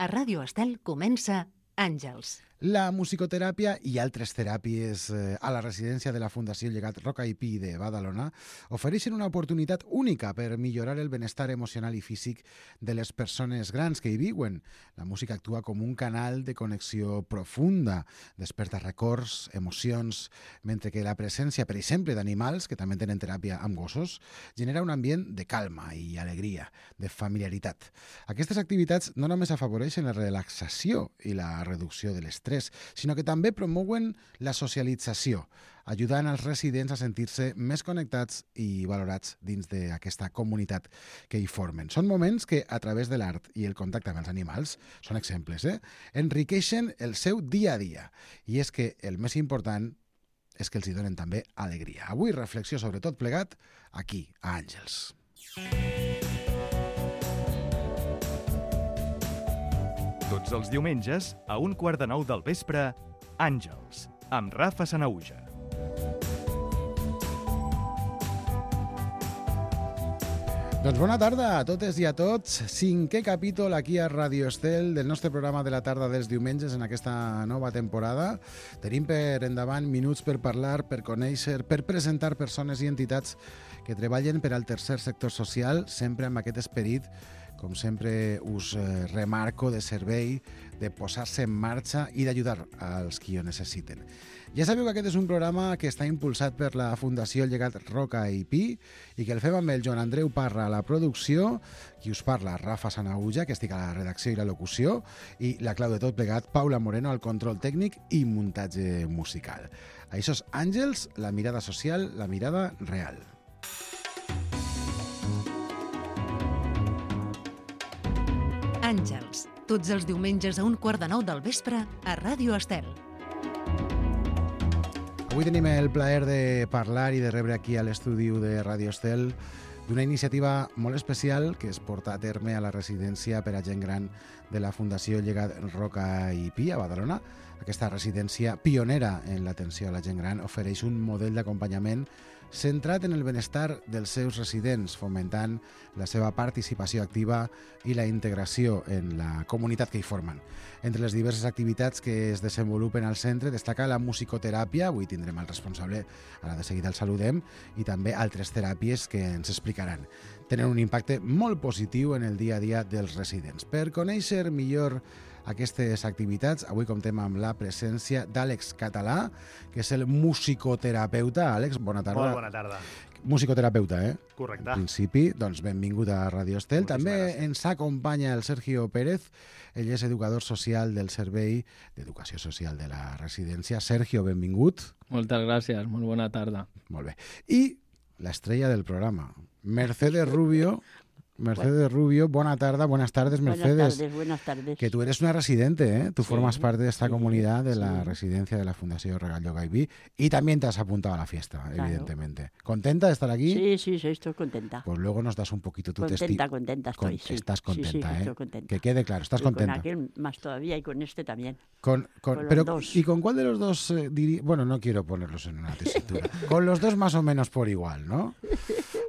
A Ràdio Estel comença Àngels. La musicoteràpia i altres teràpies a la residència de la Fundació Llegat Roca i Pi de Badalona ofereixen una oportunitat única per millorar el benestar emocional i físic de les persones grans que hi viuen. La música actua com un canal de connexió profunda, desperta records, emocions, mentre que la presència, per exemple, d'animals, que també tenen teràpia amb gossos, genera un ambient de calma i alegria, de familiaritat. Aquestes activitats no només afavoreixen la relaxació i la reducció de l'estrès, sinó que també promouen la socialització, ajudant als residents a sentir-se més connectats i valorats dins d'aquesta comunitat que hi formen. Són moments que, a través de l'art i el contacte amb els animals, són exemples, enriqueixen el seu dia a dia. I és que el més important és que els hi donen també alegria. Avui reflexió sobre tot plegat aquí, a Àngels. Tots els diumenges, a 8:45 del vespre, Àngels, amb Rafa Sanauja. Doncs bona tarda a totes i a tots. 5è capítol aquí a Radio Estel del nostre programa de la tarda dels diumenges en aquesta nova temporada. Tenim per endavant minuts per parlar, per conèixer, per presentar persones i entitats que treballen per al tercer sector social, sempre amb aquest esperit, com sempre us remarco, de servei, de posar-se en marxa i d'ajudar als qui ho necessiten. Ja sabeu que aquest és un programa que està impulsat per la Fundació Llegat Roca i Pi i que el fem amb el Joan Andreu Parra a la producció, qui us parla, Rafa Sanauja, que estic a la redacció i la locució, i la clau de tot plegat, Paula Moreno, al control tècnic i muntatge musical. Això és Àngels, la mirada social, la mirada real. Àngels, tots els diumenges a 8:45 del vespre a Ràdio Estel. Avui tenim el plaer de parlar i de rebre aquí a l'estudi de Ràdio Estel d'una iniciativa molt especial que es porta a terme a la residència per a gent gran de la Fundació Llegat Roca i Pi a Badalona. Aquesta residència pionera en l'atenció a la gent gran ofereix un model d'acompanyament centrat en el benestar dels seus residents, fomentant la seva participació activa i la integració en la comunitat que hi formen. Entre les diverses activitats que es desenvolupen al centre destaca la musicoteràpia, avui tindrem el responsable, ara de seguida el saludem, i també altres teràpies que ens explicaran. Tenen un impacte molt positiu en el dia a dia dels residents. Per conèixer millor aquestes activitats, avui comptem amb la presència d'Àlex Català, que és el musicoterapeuta. Àlex, bona tarda. Molt bona tarda. Musicoterapeuta, Correcte. En principi, doncs benvingut a Radio Estel. Moltíssimes També gràcies. ens acompanya el Sergio Pérez, ell és educador social del Servei d'Educació Social de la residència. Sergio, benvingut. Moltes gràcies, molt bona tarda. Molt bé. I l'estrella del programa, Mercedes Rubio. Mercedes Rubio, bona tarda, buenas tardes, Mercedes. Buenas tardes. Que tú eres una residente, Tú formas parte de esta sí, comunidad de la sí. residencia de la Fundación Regal Yoga y Pi, y también te has apuntado a la fiesta, Claro. evidentemente. ¿Contenta de estar aquí? Sí, estoy contenta. Pues luego nos das un poquito tu testimonio. Contenta estoy, sí. Estás contenta, Sí, estoy contenta. Que quede claro, estás Y contenta. con aquel más todavía y con este también. Con los dos. ¿Y con cuál de los dos Bueno, no quiero ponerlos en una tesitura. Con los dos más o menos por igual, ¿no?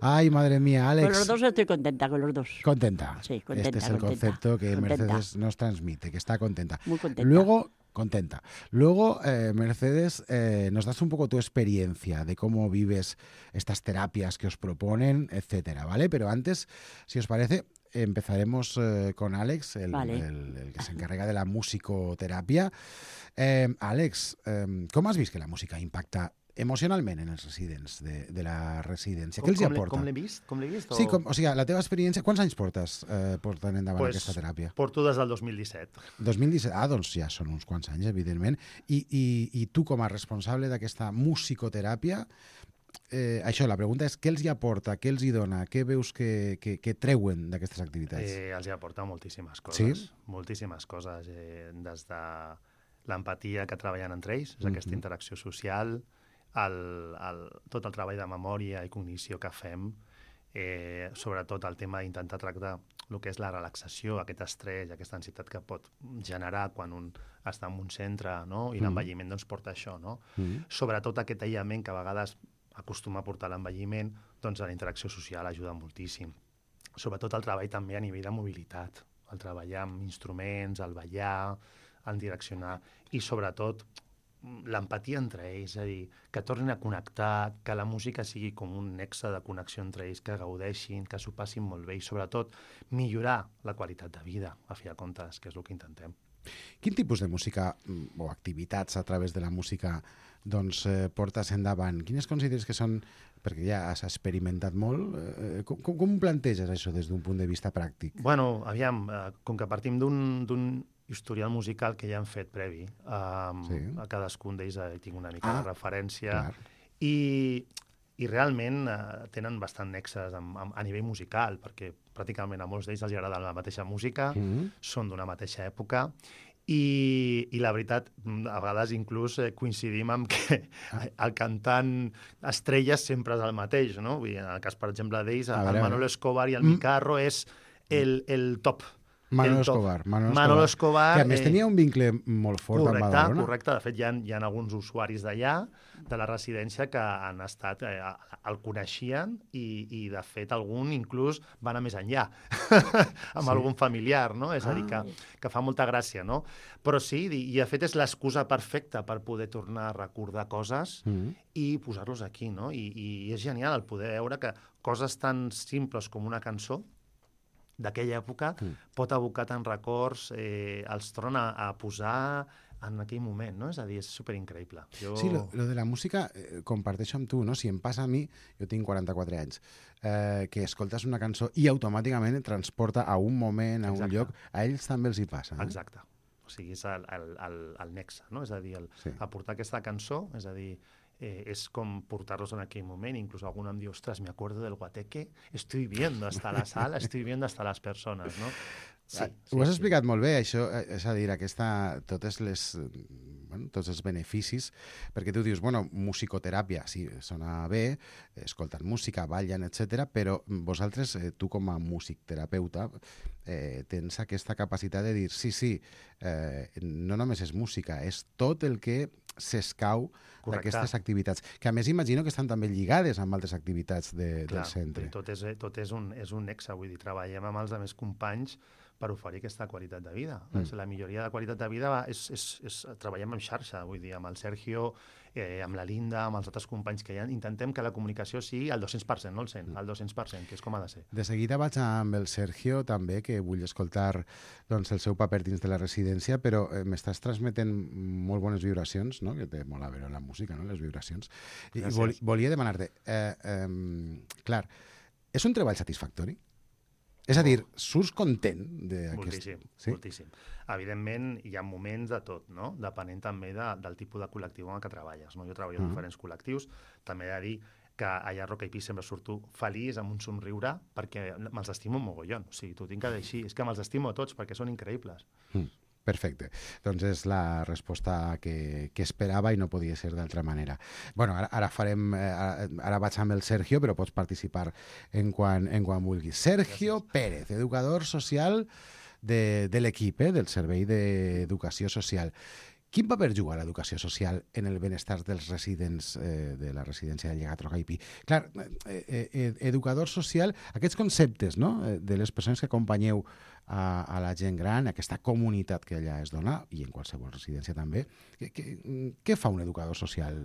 Ay, madre mía, Alex. Con los dos estoy contenta, con los dos. Contenta. Sí, contenta, Este es el contenta. concepto que Contenta. Mercedes nos transmite, que está contenta. Muy contenta. Luego, contenta. Luego, Mercedes, nos das un poco tu experiencia de cómo vives estas terapias que os proponen, etcétera, ¿vale? Pero antes, si os parece, empezaremos con Àlex, el que se encarrega de la musicoteràpia. Àlex, com has vist que la música impacta emocionalment en els residents de la residència? Què els hi aporta? Com l'he vist? Sí, o sigui, la teva experiència... Quants anys portes portant endavant aquesta teràpia? Porto des del 2017. 2017, doncs ja són uns quants anys, evidentment. I tu, com a responsable d'aquesta musicoteràpia, això, la pregunta és què els hi aporta, què els hi dona, què veus que treuen d'aquestes activitats? Els hi aporta moltíssimes coses. Sí? Moltíssimes coses. Des de l'empatia que treballen entre ells, és aquesta interacció social, tot el treball de memòria i cognició que fem, sobretot el tema d'intentar tractar el que és la relaxació, aquest estrès, aquesta ansietat que pot generar quan un està en un centre, no? I l'envelliment doncs, porta això. No? Sobretot aquest aïllament que a vegades acostuma a portar l'envelliment, doncs la interacció social ajuda moltíssim. Sobretot el treball també a nivell de mobilitat. el treballar amb instruments, el ballar, el direccionar, i sobretot l'empatia entre ells, és a dir, que tornin a connectar, que la música sigui com un nexe de connexió entre ells, que gaudeixin, que s'ho passin molt bé i sobretot millorar la qualitat de vida, a fi de comptes, que és el que intentem. Quin tipus de música o activitats a través de la música doncs, portes endavant? Quines consideres que són, perquè ja has experimentat molt, com planteges això des d'un punt de vista pràctic? Bueno, aviam, com que partim d'un historial musical que ja hem fet previ, Sí. a cadascun d'ells tinc una mica de referència, clar. i realment tenen bastant nexes a nivell musical, perquè pràcticament a molts d'ells els agrada la mateixa música, són d'una mateixa època, i la veritat, a vegades inclús coincidim amb que el cantant estrella sempre és el mateix, no? Vull dir, en el cas, per exemple, d'ells, el Manolo Escobar i el Micarro és el top. Manolo Escobar. Manolo Escobar. Que a més tenia un vincle molt fort amb Badalona. Correcte. De fet, hi ha alguns usuaris d'allà, de la residència, que han estat, el coneixien i, de fet, algun inclús va anar més enllà, amb algun familiar, no? És a dir, que fa molta gràcia, no? Però sí, i de fet és l'excusa perfecta per poder tornar a recordar coses i posar-los aquí, no? I és genial el poder veure que coses tan simples com una cançó d'aquella època pot abocar tant records, els torna a posar en aquell moment, no? És a dir, és superincreïble. Sí, lo de la música comparteixo amb tu, no? Si em passa a mi, jo tinc 44 anys, que escoltes una cançó i automàticament et transporta a un moment, a un lloc, a ells també els hi passa. Exacte. O sigui, és el nexe, no? És a dir, aportar aquesta cançó, és a dir, es com portarlos en aquell moment. Inclús algú em diu, ostres, me acuerdo del guateque, estoy viendo hasta la sala, estoy viendo hasta las personas, no? Sí, ho has explicat molt bé, això, és a dir, tots els beneficis, perquè tu dius, bueno, musicoteràpia, sí, sona bé, escolten música, ballen, etc. Però vosaltres, tu com a músic terapeuta, tens aquesta capacitat de dir, sí, no només és música, és tot el que s'escau d'aquestes activitats, que a més imagino que estan també lligades amb altres activitats del centre. Tot és un nexe, vull dir, treballem amb els altres companys per oferir aquesta qualitat de vida. La milloria de qualitat de vida treballem en xarxa, vull dir, amb el Sergio, amb la Linda, amb els altres companys que hi ha. Intentem que la comunicació sigui al 200%, no al 100%, al 200%, que és com ha de ser. De seguida vaig amb el Sergio, també, que vull escoltar doncs, el seu paper dins de la residència, però m'estàs transmetent molt bones vibracions, no? Que té molt a veure la música, no? Les vibracions. I volia demanar-te, clar, és un treball satisfactori? És a dir, surts content d'aquest... Moltíssim. Evidentment, hi ha moments de tot, no? Depenent també del tipus de col·lectiu en què treballes, no? Jo treballo en diferents col·lectius. També he de dir que allà a Roca i Pi sempre surto feliç, amb un somriure, perquè me'ls estimo un mogollon. O sigui, t'ho tinc que dir així. És que me'ls estimo a tots, perquè són increïbles. Perfecte. Doncs és la resposta que esperava i no podia ser d'altra manera. Bueno, ara vaig amb el Sergio, però pots participar en quan vulguis. Sergio Pérez, educador social de l'equip, del Servei d'Educació Social. Quin paper juga l'educació social en el benestar dels residents de la residència del Llegat Roca i Pi? Clar, educador social, aquests conceptes, no?, de les persones que acompanyeu a la gent gran, aquesta comunitat que allà es dona, i en qualsevol residència també, què fa un educador social,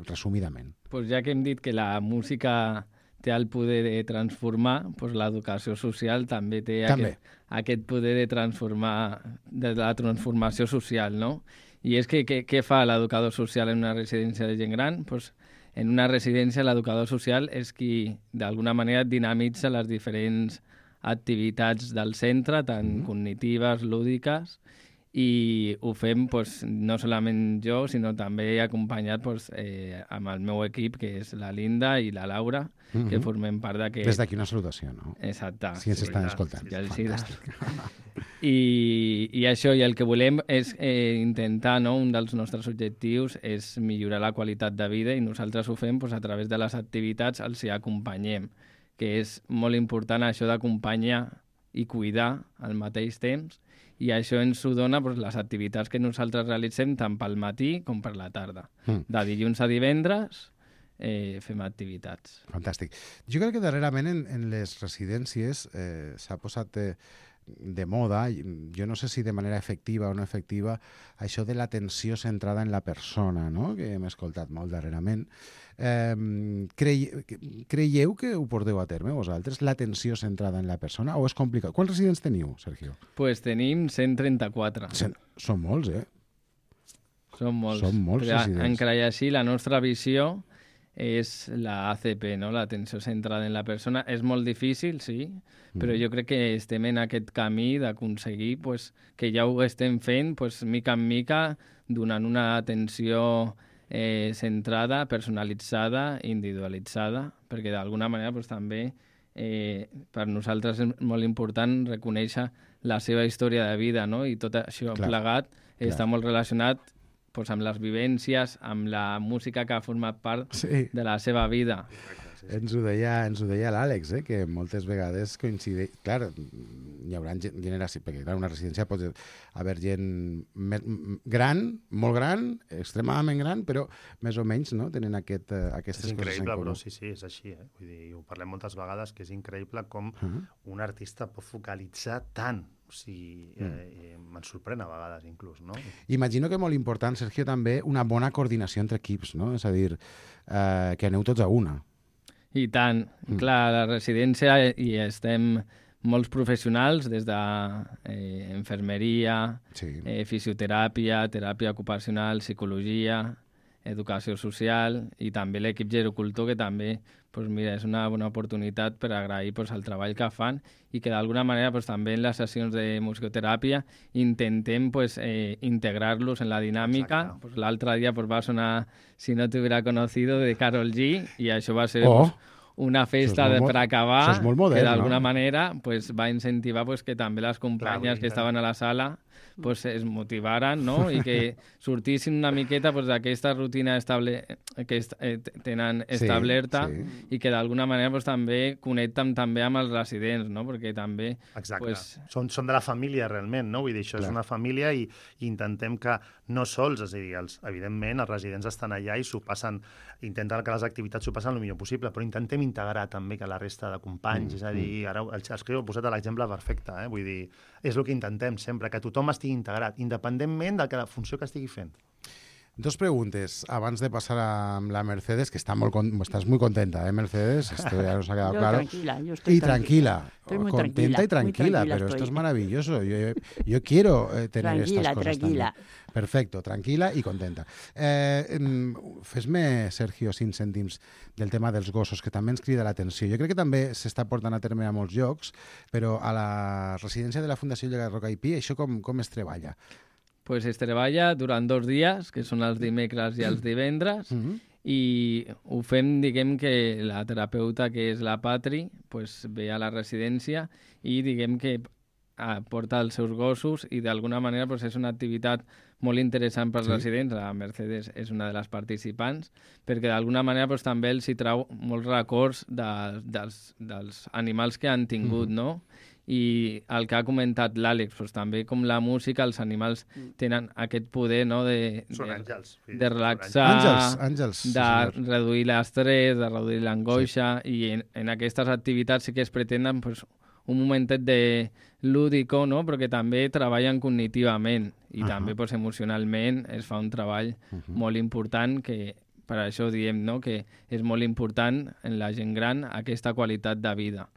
resumidament? Pues ja que hem dit que la música té el poder de transformar, pues l'educació social també té aquest poder de transformar, de la transformació social, no? I és que què fa l'educador social en una residència de gent gran? Pues en una residència l'educador social és qui d'alguna manera dinamitza les diferents activitats del centre, tant cognitives, lúdiques, i ho fem pues, no solament jo, sinó també acompanyat pues, amb el meu equip, que és la Linda i la Laura, que formem part d'aquest... Des d'aquí una salutació, no? Exacte. Si ens estan escoltant. Fantàstic. I això, i el que volem és intentar, no? Un dels nostres objectius és millorar la qualitat de vida, i nosaltres ho fem pues, a través de les activitats, els hi acompanyem, que és molt important això d'acompanyar i cuidar al mateix temps, i això ens ho dona doncs, les activitats que nosaltres realitzem tant pel matí com per la tarda. De dilluns a divendres fem activitats. Fantàstic. Jo crec que darrerament en les residències s'ha posat de moda, jo no sé si de manera efectiva o no efectiva, això de l'atenció centrada en la persona, no? Que hem escoltat molt darrerament. Creieu que ho porteu a terme vosaltres, l'atenció centrada en la persona, o és complicat? Quants residents teniu, Sergio? Pues tenim 134. Són molts, eh? Són molts. Són molts residents. Encara i així, la nostra visió és la ACP, no? L'atenció centrada en la persona. És molt difícil, sí, però jo crec que estem en aquest camí d'aconseguir pues, que ja ho estem fent pues, mica en mica, donant una atenció centrada, personalitzada, individualitzada, perquè d'alguna manera pues, també per nosaltres és molt important reconèixer la seva història de vida, no? I tot això plegat està molt relacionat pues, amb les vivències, amb la música que ha format part de la seva vida. Ens ho deia l'Àlex, que moltes vegades coincideix... Clar, hi haurà generacions, perquè clar, una residència pot haver gent gran, molt gran, extremadament gran, però més o menys no? Tenen aquestes coses en comú. És increïble, però sí, és així. Vull dir, ho parlem moltes vegades, que és increïble com un artista pot focalitzar tant. O sigui, me'n sorprèn a vegades, inclús, no? Imagino que molt important, Sergio, també una bona coordinació entre equips, no? És a dir, que aneu tots a una. I tant. Clar, a la residència hi estem molts professionals, des d'infermeria, fisioteràpia, teràpia ocupacional, psicologia, educació social i també l'equip gerocultor, que també pues mira, és una bona oportunitat per agrair pues, el treball que fan i que d'alguna manera pues, també en les sessions de musicoteràpia intentem pues, integrar-los en la dinàmica. Pues, l'altre dia pues, va sonar Si no te hubiera conocido de Karol G i això va ser pues, una festa per acabar que d'alguna manera pues, va incentivar pues, que també les companyes que estaven a la sala pues, es motivaren, no? I que sortissin una miqueta pues, d'aquesta rutina que tenen establerta i que d'alguna manera pues, també connecten també amb els residents, no? Perquè també... Exacte. Pues... Són de la família realment, no? Vull dir, això és una família i intentem que no sols, és a dir, evidentment els residents estan allà i s'ho passen, intenten que les activitats s'ho passen el millor possible, però intentem integrar també que la resta de companys, és a dir, ara els que heu posat l'exemple perfecte, vull dir, és el que intentem sempre, que tothom estigui integrat, independentment de la funció que estigui fent. Dos preguntes, abans de passar amb la Mercedes, que estás muy contenta, Mercedes? Esto ya nos ha quedado claro. Yo estoy tranquila. Estoy muy contenta y tranquila, pero estoy. esto es maravilloso. Yo quiero tener estas cosas tranquila. También. Perfecto, tranquil·la i contenta. Fes-me, Sergio, 5 cèntims del tema dels gossos, que també ens crida l'atenció. Jo crec que també s'està portant a terme a molts llocs, però a la residència de la Fundació Llegat Roca i Pi, això com es treballa? Pues es treballa durant 2 dies, que són els dimecres i els divendres, i ho fem, diguem que la terapeuta, que és la Patri, pues, ve a la residència i diguem que porta els seus gossos i d'alguna manera pues, és una activitat molt interessant pels residents. La Mercedes és una de les participants, perquè d'alguna manera pues, també els hi trau molts records dels animals que han tingut, no? I el que ha comentat l'Àlex, doncs, també com la música, els animals tenen aquest poder, no, de relaxar, àngels, de reduir l'estrès, de reduir l'angoixa, i en aquestes activitats sí que es pretenen pues, un momentet de lúdico, no? Però que també treballen cognitivament i també pues, emocionalment es fa un treball molt important, que per això diem, no? Que és molt important en la gent gran aquesta qualitat de vida.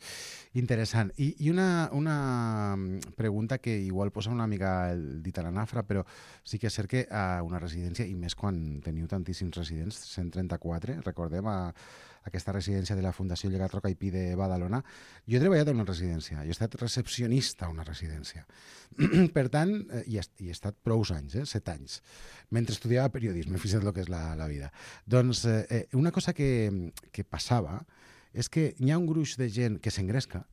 Interessant. I una pregunta que igual posa una mica el dit a la nafra, però sí que és cert que a una residència, i més quan teniu tantíssims residents, 134, recordem, a aquesta residència de la Fundació Llegat Roca i Pi de Badalona, jo he treballat en una residència, jo he estat recepcionista a una residència. Per tant, i he estat prou anys, 7 anys, mentre estudiava periodisme, fixa't el que és la vida. Doncs una cosa que passava és que hi ha un gruix de gent que s'engresca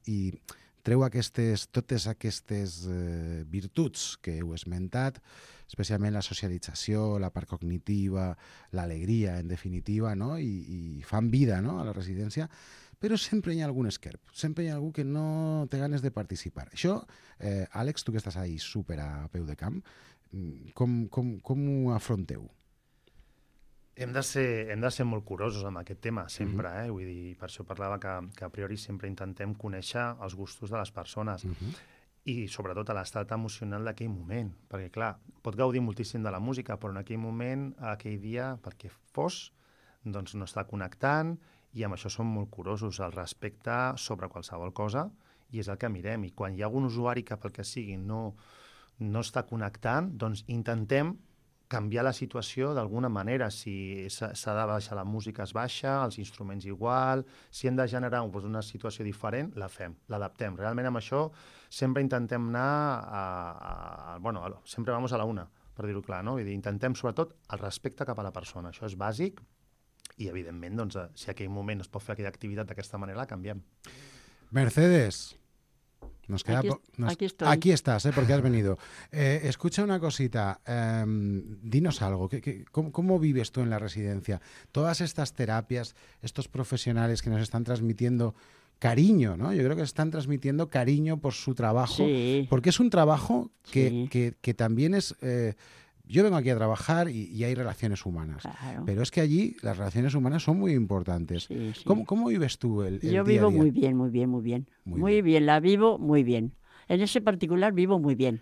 i treu totes aquestes virtuts que heu esmentat, especialment la socialització, la part cognitiva, l'alegria, en definitiva, no? I fan vida, no? A la residència, però sempre hi ha algun esquerp, sempre hi ha algú que no té ganes de participar. Això, Àlex, tu que estàs ahí super a peu de camp, com ho afronteu? Hem de ser molt curosos amb aquest tema, sempre, Vull dir, per això parlava que a priori sempre intentem conèixer els gustos de les persones i sobretot a l'estat emocional d'aquell moment, perquè, clar, pot gaudir moltíssim de la música, però en aquell moment, aquell dia, pel que fos, doncs no està connectant i amb això som molt curosos, el respecte sobre qualsevol cosa, i és el que mirem. I quan hi ha algun usuari que pel que sigui no està connectant, doncs intentem canviar la situació d'alguna manera. Si s'ha de baixar la música, es baixa, els instruments igual. Si hem de generar una situació diferent, la fem, l'adaptem. Realment amb això sempre intentem anar sempre vamos a la una, per dir-ho clar, no? Vull dir, intentem sobretot el respecte cap a la persona. Això és bàsic i, evidentment, doncs, si aquell moment es pot fer aquella activitat d'aquesta manera, la canviem. Mercedes. Aquí estoy. Aquí estás, porque has venido. Escucha una cosita, dinos algo. ¿Cómo vives tú en la residencia? Todas estas terapias, estos profesionales que nos están transmitiendo cariño, ¿no? Yo creo que están transmitiendo cariño por su trabajo, porque es un trabajo que también es... yo vengo aquí a trabajar y hay relaciones humanas, pero es que allí las relaciones humanas son muy importantes. Sí. ¿Cómo vives tú el día a día? Yo vivo muy bien. Muy bien, la vivo muy bien. En ese particular vivo muy bien.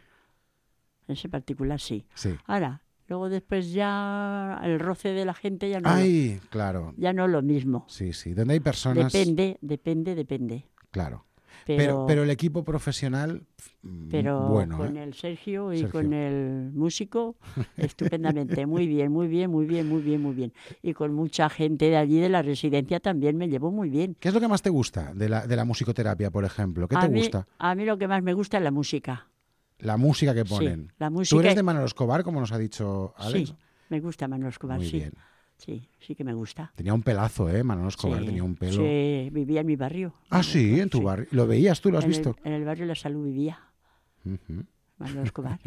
En ese particular sí. Ahora, luego después ya el roce de la gente ya no. Claro. Ya no es lo mismo. Sí. Donde hay personas... Depende. Claro. Pero el equipo profesional, bueno. Con el Sergio y con el músico, estupendamente. Muy bien. Y con mucha gente de allí de la residencia también me llevo muy bien. ¿Qué es lo que más te gusta de la musicoterapia, por ejemplo? ¿Qué te gusta? A mí lo que más me gusta es la música. La música que ponen. Sí, la música. ¿Tú eres de Manolo Escobar, como nos ha dicho Alex? Sí, me gusta Manolo Escobar, Muy bien. Sí que me gusta. Tenía un pelazo, Manolo Escobar, tenía un pelo. Sí, vivía en mi barrio. Ah, sí, en tu barrio. ¿Lo veías tú, lo has visto? En el barrio La Salud vivía. Manolo Escobar.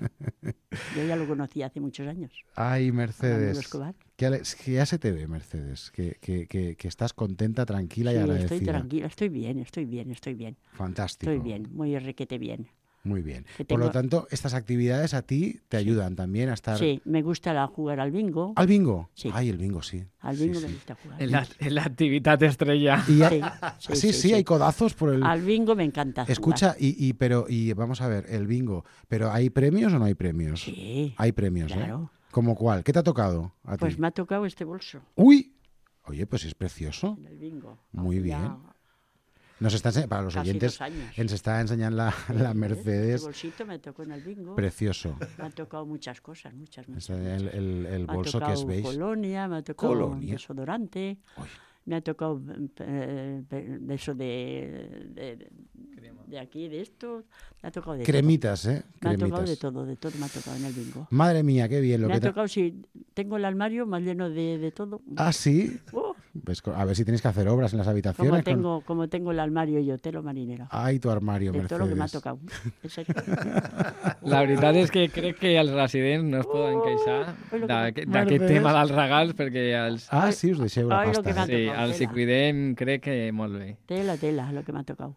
Yo ya lo conocí hace muchos años. Ay, Mercedes. Manolo Escobar. Que ya se te ve, Mercedes, que estás contenta, tranquila y agradecida. Estoy tranquila, estoy bien. Fantástico. Estoy bien, muy requete bien. Muy bien. Por lo tanto, estas actividades a ti te ayudan también a estar... Sí, me gusta jugar al bingo. ¿Al bingo? Sí. Ay, el bingo, sí. Al bingo me gusta jugar. En la actividad estrella. Sí, hay codazos por el... Al bingo me encanta Escucha, jugar. Pero vamos a ver, el bingo. ¿Pero hay premios o no hay premios? Sí. Hay premios, claro. ¿Cómo cuál? ¿Qué te ha tocado a ti? Pues me ha tocado este bolso. ¡Uy! Oye, pues es precioso. En el bingo. Muy bien. Nos está para los oyentes, nos está enseñando la Mercedes. Este bolsito me tocó en el bingo. Precioso. Me han tocado muchas cosas. El bolso que es beige. Colonia, me ha tocado desodorante. Uy. Me ha tocado de eso de aquí, de esto. Me ha tocado de cremitas, todo. Cremitas. Me ha tocado de todo me ha tocado en el bingo. Madre mía, qué bien. Me ha tocado, si tengo el armario más lleno de todo. ¿Ah, sí? Pues a ver si tenéis que hacer obras en las habitaciones. Como tengo el armario yo, telo marinero. Ay, tu armario, Mercedes. De todo lo que me ha tocado. La veritat és que crec que els residents no es poden queixar d'aquest tema dels regals perquè els... Ah, sí, us deixeu la pasta. Sí, els hi cuidem, crec que molt bé. Tela, lo que me ha tocado.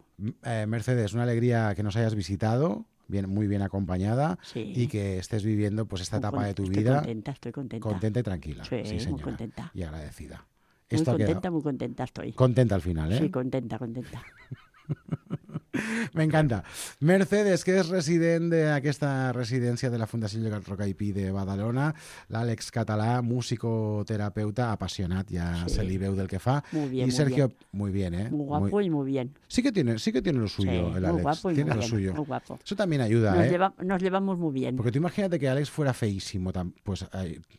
Mercedes, una alegría que nos hayas visitado. Muy bien acompañada y que estés viviendo pues esta etapa de tu vida. Estoy contenta. Contenta y tranquila. Sí, señora. Muy contenta. Y agradecida. Muy contenta estoy. Contenta al final, ¿eh? Sí, contenta. Me encanta. Mercedes, que és resident d'aquesta residència de la Fundació Llegat Roca i Pi de Badalona, l'Àlex Català, musicoterapeuta, apassionat, ja se li veu del que fa. Muy bien, y Sergio, muy bien, ¿eh? Muy guapo y muy bien. Sí que tiene lo suyo, el Àlex. Muy guapo y tiene muy lo bien, suyo. muy guapo. Eso también ayuda, nos llevamos muy bien. Porque tú imagínate que Àlex fuera feísimo, pues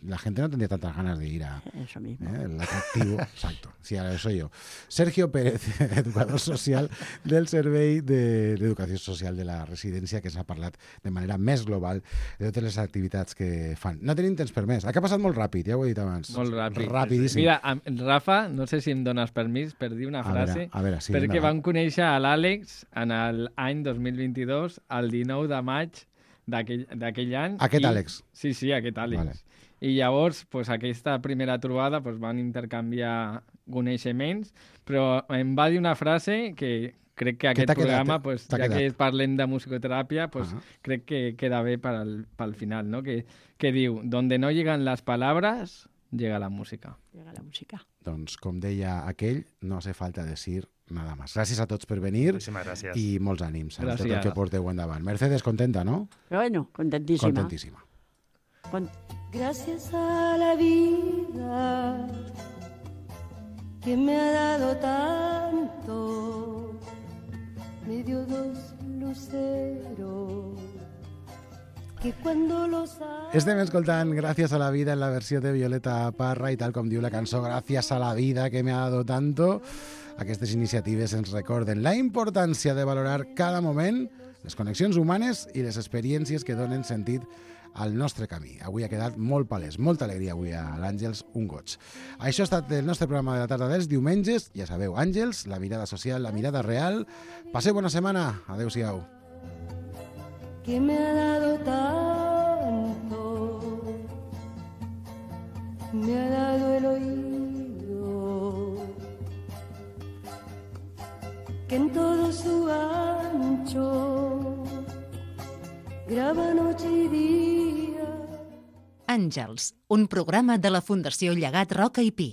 la gente no tendría tantas ganas de ir a... Eso mismo. El atractivo, exacto. Sí, ahora eso soy yo. Sergio Pérez, educador social del Servei d'Educació Social de la residència, que s'ha parlat de manera més global de totes les activitats que fan. No tenim temps per més. Ha passat molt ràpid, ja ho he dit abans. Molt ràpid. Rapidíssim. Mira, Rafa, no sé si em dones permís per dir una frase, a veure, sí, perquè vam conèixer a l'Àlex en l'any 2022, el 19 de maig d'aquell any. Aquest Àlex? Sí, aquest Àlex. Vale. I llavors, aquesta primera trobada van intercanviar coneixements, però em va dir una frase que crec que aquest programa, ja que parlem de musicoteràpia, crec que queda bé pel final, ¿no? Que diu, donde no llegan las palabras, llega la música. Llega la música. Doncs, com deia aquell, no hace falta decir nada más. Gràcies a tots per venir. Moltíssimes gràcies. I molts ànims en tot el Gràcies. que porteu endavant. Mercedes, contenta, no? Bueno, contentísima. Contentísima. Gracias a la vida que me ha dado tanto, me dio dos luceros que cuando los Estem escoltant Gràcies a la vida en la versió de Violeta Parra i tal com diu la cançó Gràcies a la vida que me ha dado tanto. Aquestes iniciatives ens recorden la importància de valorar cada moment, les connexions humanes i les experiències que donen sentit al nostre camí. Avui ha quedat molt palès, molta alegria avui a l'Àngels, un goig. Això ha estat el nostre programa de la tarda dels diumenges. Ja sabeu, Àngels, la mirada social, la mirada real. Passeu bona setmana. Adéu-siau. Que me ha dado tanto, me ha dado el oído, que en todo su ancho grava noche y día. Àngels, un programa de la Fundació Llegat Roca i Pi.